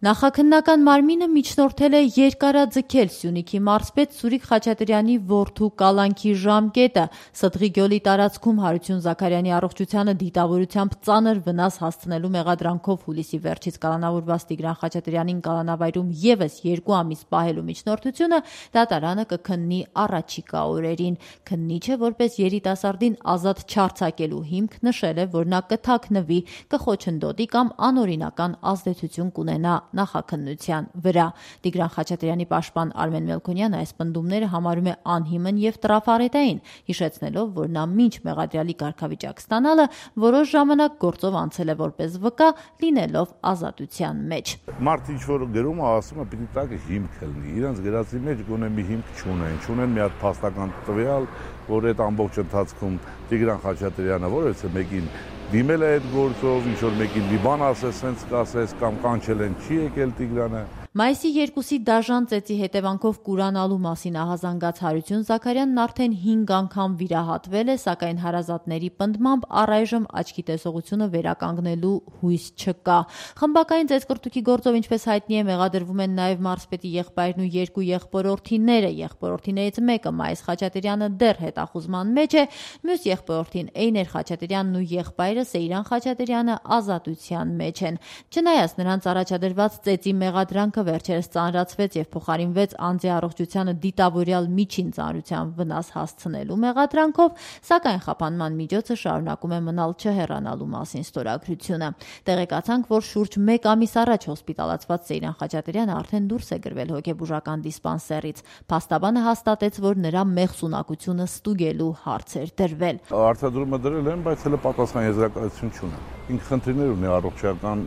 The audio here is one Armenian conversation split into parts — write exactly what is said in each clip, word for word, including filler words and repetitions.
Նախաքննական մարմինը միջնորդել է երկարաձգել Սյունիքի մարզպետ Սուրիկ Խաչատրյանի որդու կալանքի ժամկետը, Սդղի գյուղի տարածքում Հարություն Զաքարյանի առողջությանը դիտավորությամբ ծանր վնաս հասցնելու մեղադրանքով հուլիսի վերջից կալանավորված Տիգրան Խաչատրյանին կալանավայրում ևս երկու ամիս պահելու միջնորդությունը դատարանը կքննի առաջիկա օրերին։ Քննիչը որպես երիտասարդին ազատ չարձակելու հիմք նշել է, որ նա կթաքնվի, կխոչընդոտի կամ անօրինական ազդեցություն կունենա նախաքննության վրա։ Տիգրան Խաչատրյանի պաշտպան Արմեն Մելքոնյանը այս պնդումները համարում է անհիմն եւ տրաֆարետային, հիշեցնելով, որ նա մինչ մեղադրյալի կարգավիճակ ստանալը որոշ ժամանակ գործով անցել է որպես վկա, լինելով ազատության մեջ։ Մարդ ինչ որ գրում է, ասում է, պիտի տակ հիմք լինի, իրենց գրածի մեջ գոնե մի հիմք չունեն, չունեն մի հատ փաստական տվյալ, որ այդ ամբողջ ընթացքում Տիգրան Խաչատրյանը որևէ մեկին դիմել է այդ գործով, ինչ որ մեկին մի բան ասես, սենց կասես կամ կանչել են, չի եկել Տիգրանը։ Մայիսի երկուսի դաժան ծեծի հետևանքով կուրանալու մասին ահազանգած Հարություն Զաքարյանն արդեն հինգ անգամ վիրահատվել է, սակայն հարազատների պնդմամբ առայժմ աչքի տեսողությունը վերականգնելու հույս չկա։ Խմբակային ծեծկռտուքի գործով, ինչպես հայտնի է, մեղադրվում են նաև մարզպետի եղբայրն ու երկու եղբորորդիները։ Եղբորորդիներից մեկը Մայիս Խաչատրյանը դեռ հետախուզման մեջ է, մյուս եղբորորդին Էյներ Խաչատրյանն ու եղբայրը Սեյրան Խաչատրյանը ազատության մեջ են։ Չնայած նրանց առաջադրված ծեծի մեղադրանքը վերջերս ծանրացվեց եւ փոխարինվեց անձի առողջությանը դիտավորյալ միջին ծանրության վնաս հասցնելու մեղադրանքով, սակայն խափանման միջոցը շարունակում է մնալ չհեռանալու մասին ստորագրությունը։ Տեղեկացանք, որ շուրջ մեկ ամիս առաջ հոսպիտալացված Սեյրան Խաչատրյանը արդեն դուրս է գրվել հոգեբուժական դիսպանսերից։ Փաստաբանը հաստատեց, որ նրա մեղսունակությունը ստուգելու հարց էր դրվել։ Արտադրումը դրել են, բայց հələ պատասխան եզրակացություն չունեն։ Ինքը խնդիրներ ունի առողջական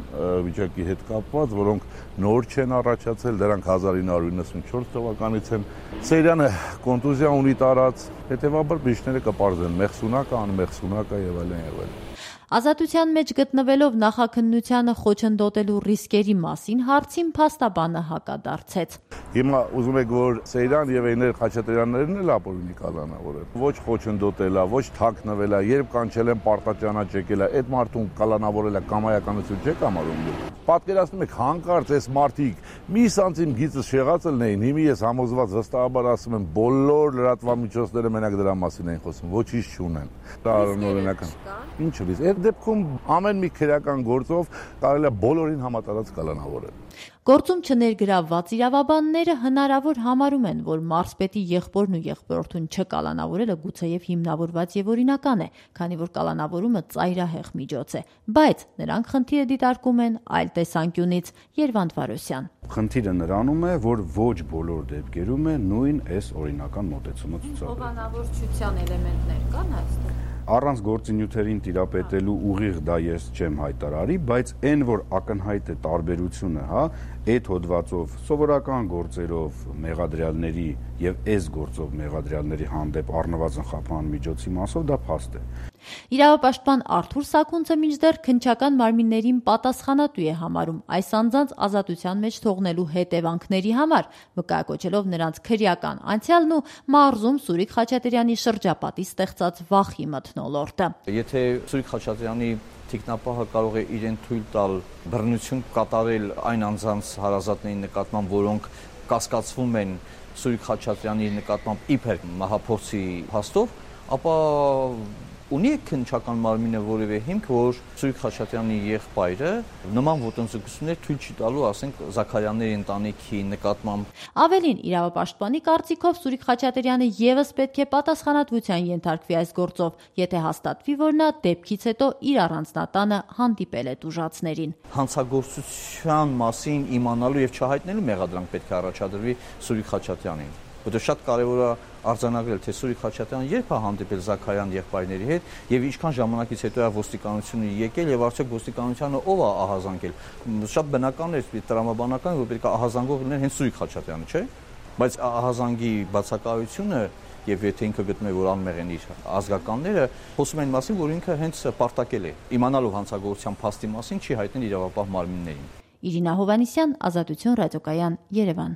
վիճակի հետ կապված, որոնք նոր չեն առաջացել, դրանք հազար ինը հարյուր իննսունչորս թվականից են։ Սեյրանը կոնտուզիա ունի տարած, հետևաբար բժիշկները կպարզեն մեղսունակը, անմեղսունակը եւ այլն եւ այլն։ Ազատության մեջ գտնվելով նախաքննությանը խոչընդոտելու ռիսկերի մասին հարցին փաստաբանը հակադարձեց։ Հիմա ուզում եք, որ Սեյրան եւ Էյներ Խաչատրյաններն էլ ապօրինի կալանավորել։ Ոչ խոչընդոտելա, ոչ թաքնվելա, երբ կանչել են պարտաճանաչ եկելա, այդ մարդուն կալանավորելա կամայականություն չեք համարում։ Պատկերացնում եք, հանկարծ այս մարդիկ մի սանտիմ գիծը շեղացել էին, հիմի ես համոզված վստահաբար ասում եմ, բոլոր լրատվամիջոցները մենակ դրա մասին են խոսում, ոչինչ չունեն։ Դա անօրինական։ Ինչը՞ լիզ։ Այդ դեպքում ամեն մի քրեական գործով կարելի է բոլորին համատարած կալանավորել։ Գործում չներգրավված իրավաբանները հնարավոր համարում են, որ մարզպետի եղբորն ու եղբորորդուն չկալանավորելը գուցեև հիմնավորված եւ օրինական է, քանի որ կալանավորումը ծայրահեղ միջոց է, բայց նրանք խնդիրը դիտարկում են այլ տեսանկյունից։ Երվանդ Վարոսյան։ Խնդիրը նրանում է, որ ոչ բոլոր դեպքերում է նույն այս օրինական մոտեցումը ցուցաբերել։ Հովանավորչության էլեմենտներ կան այստեղ։ Առանց գործինյութերին տիրապետելու ուղիղ դա ես չեմ հայտարարի, բայց այն, որ ակնհայտ է տարբերությունը, հա, այդ հոդվածով սովորական գործերով մեղադրյալների եւ այս գործով մեղադրյալների հանդեպ առնվազն խափան միջոցի մասով դա փաստ է։ Իրավապաշտպան Արթուր Սաքունցը մինչդեռ քննչական մարմիններին պատասխանատու է համարում այս անձանց ազատության մեջ թողնելու հետևանքների համար, վկայակոչելով նրանց քրեական անցյալն ու մարզում Սուրիկ Խաչատրյանի շրջապատի ստեղծած վախի մթնոլորտը։ Եթե Սուրիկ Խաչատրյանի թիկնապահը կարող է իրեն թույլ տալ բռնություն կատարել այն անձանց հարազատների նկատմամբ, որոնք կասկածվում են Սուրիկ Խաչատրյանի նկատմամբ իբր մահափորձի փաստով, ապա ունի քննչական մարմինը որևէ հիմք, որ Սուրիկ Խաչատրյանի եղբայրը նման ոտնձգություններ թույլ չի տալու, ասենք, Զաքարյանների ընտանիքի նկատմամբ։ Ավելին, իրավապաշտպանի կարծիքով Սուրիկ Խաչատրյանը ևս պետք է պատասխանատվության ենթարկվի այս գործով, եթե հաստատվի, որ նա դեպքից հետո իր առանձնատանը հանդիպել է տուժածներին։ Հանցագործության մասին իմանալու եւ չհայտնելու մեղադրանք պետք է առաջադրվի Սուրիկ Խաչատրյանին։ Որտեղ շատ կարևոր է արձանագրել, թե Սուրիկ Խաչատրյանը երբ է հանդիպել Զաքարյան եղբայրների հետ եւ ինչքան ժամանակից հետո է ոստիկանությունը եկել եւ արդյոք ոստիկանությանը ով է ահազանգել։ Շատ բնական է, տրամաբանական, որ պետք է ահազանգող լիներ հենց Սուրիկ Խաչատրյանը, չէ՞։ Բայց ահազանգի բացակայությունը եւ եթե ինքը գտնում է, որ անմեղ են իր ազգականները, խոսում են մասին, որ ինքը հենց պարտակել է։ Իմանալով հանցագործության փաստի մասին չի հայտնել իրավապահ մարմիններին։ Իրինա Հովանիսյան, Ազատություն ռադիոկայան, Երևան։